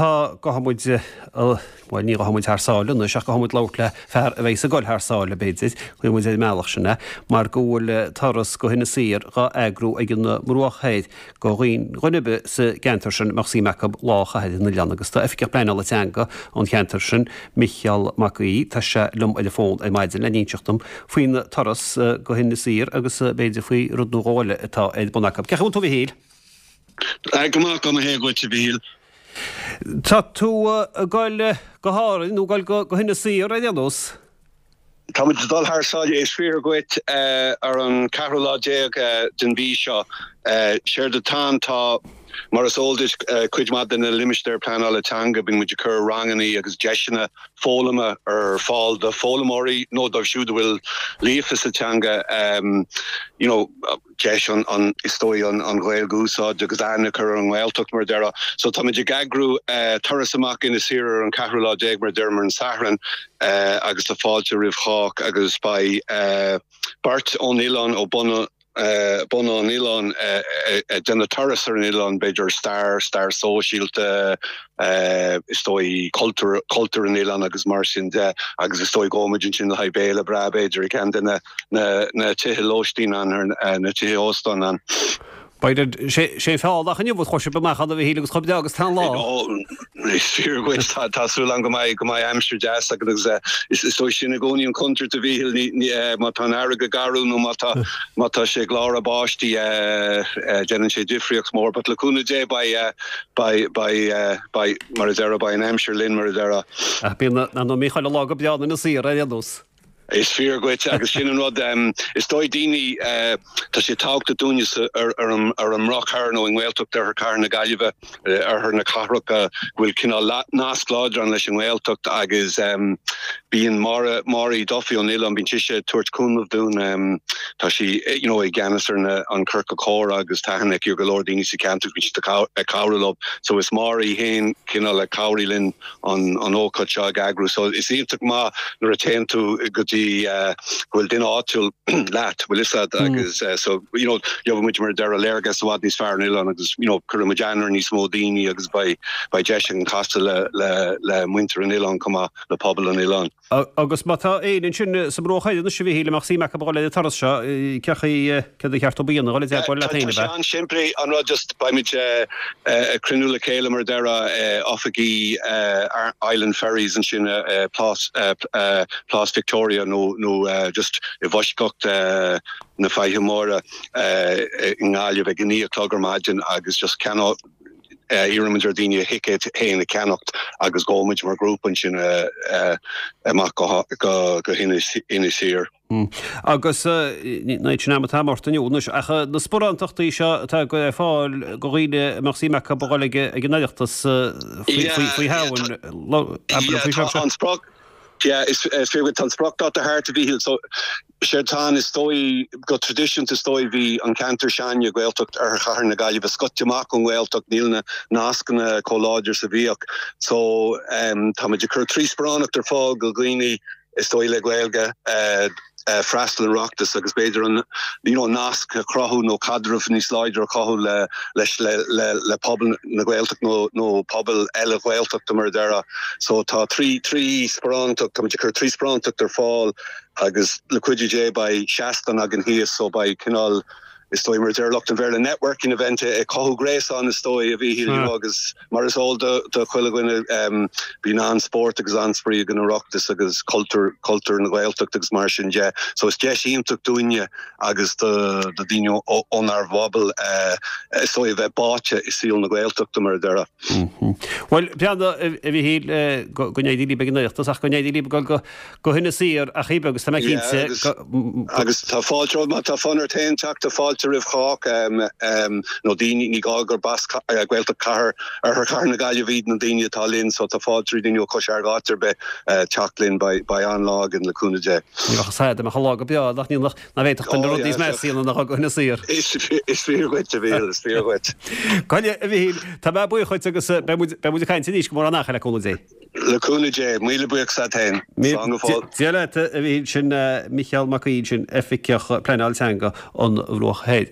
Tá, gabhfaidh muid, bhuel ní ghabhfaidh muid thar sáile anois ach gabhfaidh muid labhairt le fear a bheidhs ag dul thar sáile b'fhéidir, gheobhaidh muid ar an mbealach sin é, mar go bhfuil turas go hInis Oírr dhá eagrú ag an mBruach Thoir go dhuine ar bith sa gceantar sin a mbeadh suim acu lá a chaitheamh ar an oileán agus tá Oifigeach Pleanála Teanga ón cheantar sin, Micheál Mac Aoidh, tá sé liom ar an bhfón ar maidin le n-inseacht dom faoin turas go hInis Oírr agus b'fhéidir faoi rud nó dhó eile atá ar bun acu. Cén chaoi a bhfuil tú a Mhichíl? Go maith, go maith dhuit a Mhichíl. Tá tú ag goil go hÁrainn nó ag goil go hInis Oírr ar aon nós? Tá muid ag dul thar sáile, is fíor dhuit, ar an ceathrú lá déag den mhí seo. Séard atá ann, tá, mar is eol duit, cuid mhaith de na limistéir pleanála teanga, bíonn muid ag cur rangannaí agus deiseanna foghlama ar fáil do foghlaimeoirí nó dóibh siúd a bhfuil líofa sa teanga, you know, deis an, is dóigh, an Ghaeilge a úsáid agus aithne a chur ar an nGaeltacht, mar a déarfá. So táimid ag eagrú turas amach Inis Oírr ar an ceathrú lá déag, mar a deirim, ar an Satharn, agus tá fáilte roimh chách agus beidh beirt ón oileán, ó bunadh bunadh an oileáin, ag déanamh turas ar an oileán, b'fhéidir stair, stair sóisialta, is dóigh, cultúr, cultúr an oileáin agus mar sin de agus is dóigh gabhfaidh muid ansin le haghaidh béile breá b'fhéidir i gceann de na na tithe lóistín ann, na tithe óstáin ann. B'fhéidir, sé feall ach inniu chuir sibh amach ann a Mhichíl agus chomh breá agus tá an lá. Is fíor dhuit, tá súil agam go mbeidh, go mbeidh aimsir deas againn agus is dóigh sin i gcónaí an chontúirt a Mhichíl, má tá an fharraige garbh nó má tá, má tá sé ag gláradh báistí déanann sé difríocht mhór but le cúnamh Dé beidh, beidh, beidh, beidh, mar a déarfá, beidh an aimsir linn mar a déarfá. Ach bíonn, ar ndóigh, chuile lá go breá in Inis Oírr ar aon nós. Is fíor dhuit agus sin an rud, is dóigh daoine, tá sé tábhachtach dúinne ar an mBruach Thoir nó i nGaeltacht Oirthear Chathair na Gaillimhe, oirthear na cathrach, go bhfuil cineál nasc láidir ann leis an nGaeltacht agus bíonn Máire, Máire Duffy ón oileán, bíonn sise ag tabhairt cúnamh dúinn, tá sí you know i gceannas ar na, an ciorcal comhrá agus tá aithne aici ar go leor daoine sa cheantar, bíonn sí ag cabhrú leo. So is Máire í féin cineál a chabhraigh linn an ócáid seo ag eagrú. So is iontach maith nuair a téann tú go dtí go bhfuil duine áitiúil leat, bhfuil fhios agat agus so you know gheobhaidh muid mar a déarfá léargas i bhfad níos fearr ar an oileán agus you know cuirfidh muid aithne ar níos mó daoine agus beidh beidh deis againn casadh le le le muintir an oileáin chomh maith, le pobal an oileáin. Agus má tá éinne ansin sa mBruach Thoir anois a Mhichíl a mbeadh suim acu a dhul ar an turas seo, cén chaoi, céard ba cheart dóibh a dhéanamh, dhul i dteagmháil leat féin, ab ea? Tá sé an-simplí, an rud just beimid ag cruinniú le chéile mar a déarfá oifigí Island Ferries ansin Plás Plás Victoria nó nó just i bhfoisceacht na Faiche Móire i nGaillimh ag a 9 a chlog ar maidin agus just ceannóidh Iarraimid ar dhaoine a thicéid féin a cheannacht agus gabhfaidh muid mar ghrúpa ansin amach go hInis Oírr. Agus ní sin am atá ort inniu anois, ach na sparántachtaí seo atá ar fáil do dhaoine a mbeadh suim acu a dhul ag an Oireachtas faoi Shamhain, abair faoi seo. Yeah, is fíor dhuit, tá an spriocdháta thart a Mhichíl, so séard atá ann is dóigh, go traidisiúnta is dóigh bhí an ceantar s'againne, Gaeltacht Oirthear Chathair na Gaillimhe, scoite amach ón nGaeltacht, níl na nascanna chomh láidir is a bhíodh. So táimid ag cur 3 sparánacht ar fáil go dhaoine is dóigh le Gaeilge, freastal ar an Oireachtas agus b'fhéidir an you know nasc a chruthú nó caidreamh níos láidre a chothú le leis le le le pobal na Gaeltacht nó nó pobail eile Ghaeltachta mar a déarfá. So tá 3 3 sparántacht, táimid ag cur 3 sparántacht ar fáil agus le cuidiú Dé beidh seastán againn thíos so beidh cineál is dóigh mar a deir lucht an Bhéarla networking event ag cothú gréasán is dóigh a Mhichíl you know agus mar is eol do do chuile dhuine bíonn an-spórt agus an-spraoi ag an Oireachtas agus cultúr cultúr na Gaeltachta agus mar sin de so is deis iontach dúinne agus do do daoine ónár bpobal is dóigh a bheith báite i saol na Gaeltachta mar a déarfá. Bhuel, breathnaigh, a Mhichíl, go n-éirí libh ag an Oireachtas ach go n-éirí libh ag dul go hInis Oírr ach oiread agus tá mé cinnte go. Agus tá fáilte, má tá fonn ort féin teacht, tá fáilte roimh chách, nó daoine, ní gá gurb as Gaeltacht Chathair, Oirthear Chathair na Gaillimhe iad na daoine atá linn, so tá fáilte roimh daoine ó Chois Fharraige áit ar bith teacht linn, beidh an-lá againn le cúnamh Dé. Ní bheadh a fhios a'd, dá mbeadh an lá go breá, nach ní Ná féadfadh duine rud níos measa a dhéanamh ná dhul go hInis Oírr. Is fíor dhuit, a Mhichíl, is fíor dhuit. Coille, a Mhichíl, tá mé buíoch dhuit agus beidh muid, beidh muid ag caint arís go mór an-achar le cúnamh Dé. Le cúnamh Dé. Míle buíochas agat féin. Slán go fóill. Dia leat, a Mhichíl, sin Micheál Mac Aoidh, sin Oifigeach Pleanáil Teanga an Bhruach Thoir.